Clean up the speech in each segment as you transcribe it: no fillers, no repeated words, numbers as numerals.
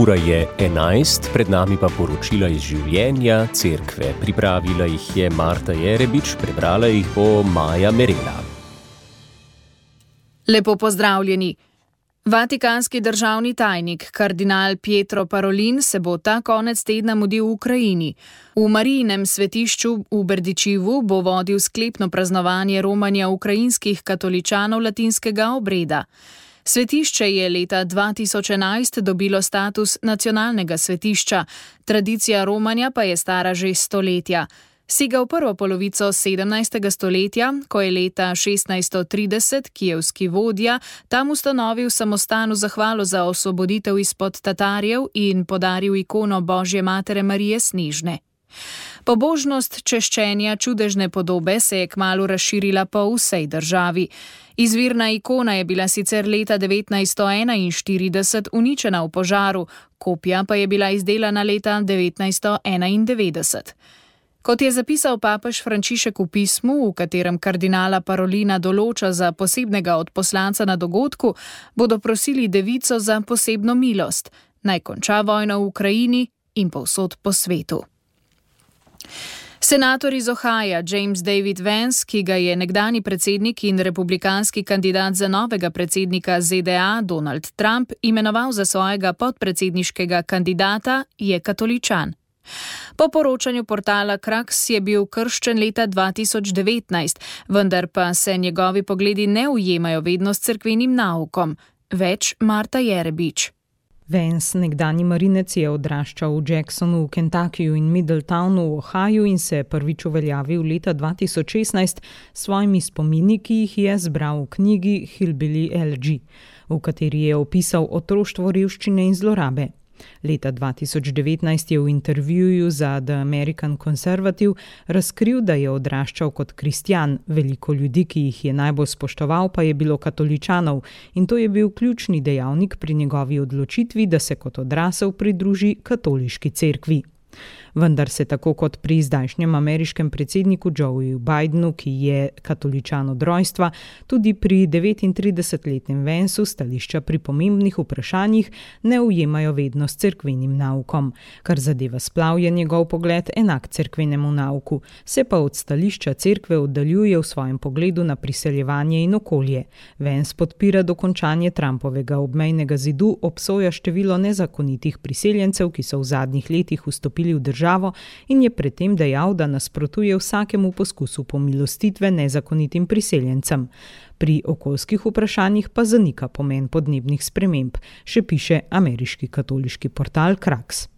Ura je 11, pred nami pa poročila iz življenja cerkve. Pripravila jih je Marta Jerebič, prebrala jih bo Maja Merela. Lepo pozdravljeni. Vatikanski državni tajnik, kardinal Pietro Parolin, se bo ta konec tedna mudil v Ukrajini. V Marijinem svetišču v Berdičivu bo vodil sklepno praznovanje romanja ukrajinskih katoličanov latinskega obreda. Svetišče je leta 2011 dobilo status nacionalnega svetišča, tradicija romanja pa je stara že stoletja. Sega v prvo polovico 17. stoletja, ko je leta 1630 kijevski vodja tam ustanovil samostan v zahvalo za osvoboditev izpod Tatarjev in podaril ikono Božje matere Marije Snežne. Pobožnost češčenja čudežne podobe se je kmalu razširila po vsej državi. Izvirna ikona je bila sicer leta 1941 uničena v požaru, kopija pa je bila izdelana leta 1991. Kot je zapisal papež Frančišek v pismu, v katerem kardinala Parolina določa za posebnega odposlanca na dogodku, bodo prosili devico za posebno milost, naj konča vojno v Ukrajini in povsod po svetu. Senator iz Ohaja James David Vance, ki ga je nekdanji predsednik in republikanski kandidat za novega predsednika ZDA Donald Trump imenoval za svojega podpredsedniškega kandidata, je katoličan. Po poročanju portala Kraks je bil krščen leta 2019, vendar pa se njegovi pogledi ne ujemajo vedno s cerkvenim naukom. Več Marta Jerebič. Vance, nekdanji marinec, je odraščal v Jacksonu v Kentuckyju in Middletownu v Ohaju in se prvič uveljavil leta 2016 s svojimi spomini, ki jih je zbral v knjigi Hillbilly Elegy, v kateri je opisal otroštvo, revščine in zlorabe. Leta 2019 je v intervjuju za The American Conservative razkril, da je odraščal kot kristjan, veliko ljudi, ki jih je najbolj spoštoval, pa je bilo katoličanov in to je bil ključni dejavnik pri njegovi odločitvi, da se kot odrasel pridruži katoliški cerkvi. Vendar se tako kot pri zdajšnjem ameriškem predsedniku Joeju Bidenu, ki je katoličan od rojstva, tudi pri 39-letnem Vanceu stališča pri pomembnih vprašanjih ne ujemajo vedno s cerkvenim naukom. Kar zadeva splav, je njegov pogled enak cerkvenemu nauku, se pa od stališča cerkve oddaljuje v svojem pogledu na priseljevanje in okolje. Vance podpira dokončanje Trumpovega obmejnega zidu, obsoja število nezakonitih priseljencev, ki so v zadnjih letih vstopili v državo, in je predtem dejal, da nasprotuje vsakemu poskusu pomilostitve nezakonitim priseljencem. Pri okoljskih vprašanjih pa zanika pomen podnebnih sprememb, še piše ameriški katoliški portal Kraks.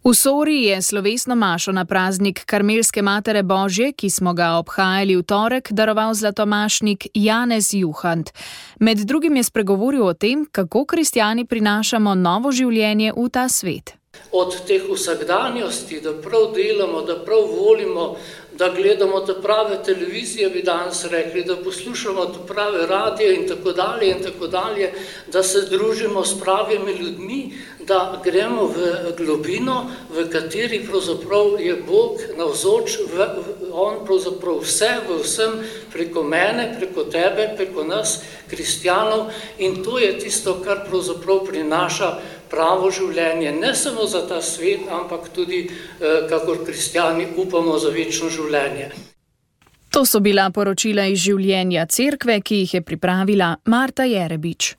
V Sori je slovesno mašo na praznik Karmelske matere Božje, ki smo ga obhajali v torek, daroval zlatomašnik Janez Juhant. Med drugim je spregovoril o tem, kako kristjani prinašamo novo življenje v ta svet. Od teh vsakdanjosti, da prav delamo, da prav volimo, da gledamo te prave televizije, bi danes rekli, da poslušamo te prave radije in tako dalje, da se družimo s pravimi ljudmi, da gremo v globino, v kateri pravzaprav je Bog navzoč, on pravzaprav vse, v vsem, preko mene, preko tebe, preko nas, kristjanov, in to je tisto, kar pravzaprav prinaša pravo življenje, ne samo za ta svet, ampak tudi, kakor kristjani, upamo za večno življenje. To so bila poročila iz življenja cerkve, ki jih je pripravila Marta Jerebič.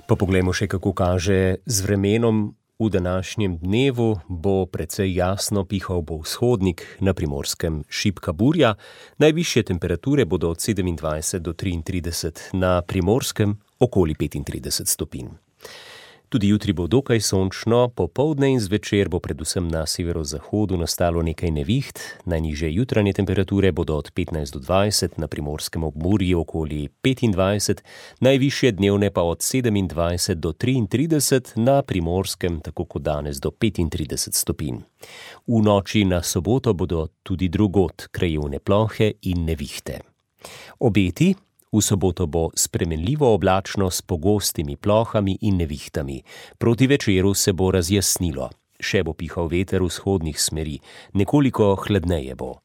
Pa poglejmo še, kako kaže z vremenom. V današnjem dnevu bo precej jasno, pihal bo vzhodnik, na Primorskem šibka burja. Najvišje temperature bodo od 27 do 33, na Primorskem okoli 35 stopinj. Tudi jutri bo dokaj sončno, popoldne in zvečer bo predvsem na severozahodu nastalo nekaj neviht. Najnižje jutranje temperature bodo od 15 do 20, na Primorskem obmorju okoli 25, najvišje dnevne pa od 27 do 33, na Primorskem tako kot danes do 35 stopinj. V noči na soboto bodo tudi drugod krajevne plohe in nevihte. Obeti. V soboto bo spremenljivo oblačno s pogostimi plohami in nevihtami. Proti večeru se bo razjasnilo. Še bo pihal veter vzhodnih smeri, nekoliko hladneje bo.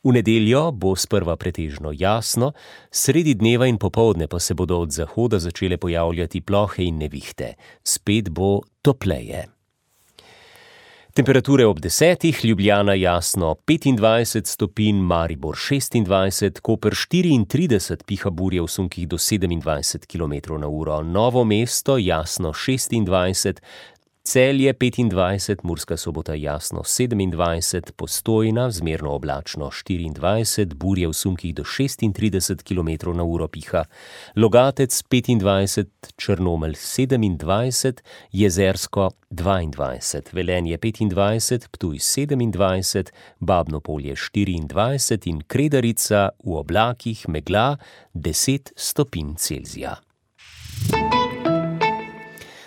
V nedeljo bo sprva pretežno jasno, sredi dneva in popoldne pa se bodo od zahoda začele pojavljati plohe in nevihte. Spet bo topleje. Temperature ob 10, Ljubljana jasno 25 stopinj, Maribor 26, Koper 34, piha burje v sunkih do 27 km/h, Novo mesto jasno 26, Celje 25, Murska Sobota jasno 27, Postojna zmerno oblačno 24, burje v sunkih do 36 km/h piha, Logatec 25, Črnomelj 27, Jezersko 22, Velenje 25, Ptuj 27, Babno Polje 24 in Kredarica v oblakih megla 10 stopinj Celzija.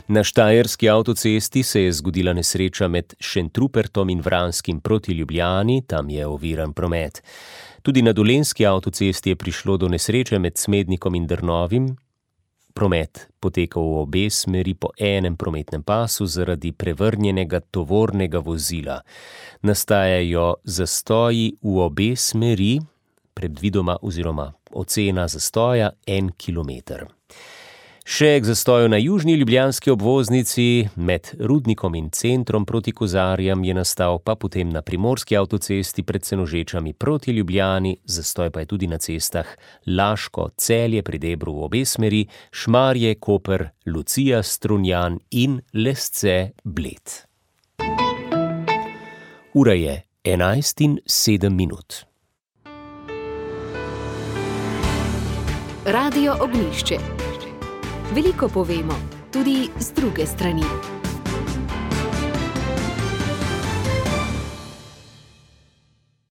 Na štajerski avtocesti se je zgodila nesreča med Šentrupertom in Vranskim proti Ljubljani, tam je oviran promet. Tudi na dolenjski avtocesti je prišlo do nesreče med Smednikom in Drnovim. Promet potekal v obe smeri po enem prometnem pasu zaradi prevrnjenega tovornega vozila. Nastajajo zastoji v obe smeri, predvidoma oziroma ocena zastoja 1 kilometer. Še k zastoju na južni ljubljanski obvoznici med Rudnikom in Centrom proti Kozarjam je nastal, pa potem na primorski avtocesti pred Senožečami proti Ljubljani, zastoj pa je tudi na cestah Laško, Celje pri Debru v obe smeri, Šmarje, Koper, Lucija, Strunjan in Lesce, Bled. Ura je 11:07. Radio Ognjišče. Veliko povemo, tudi z druge strani.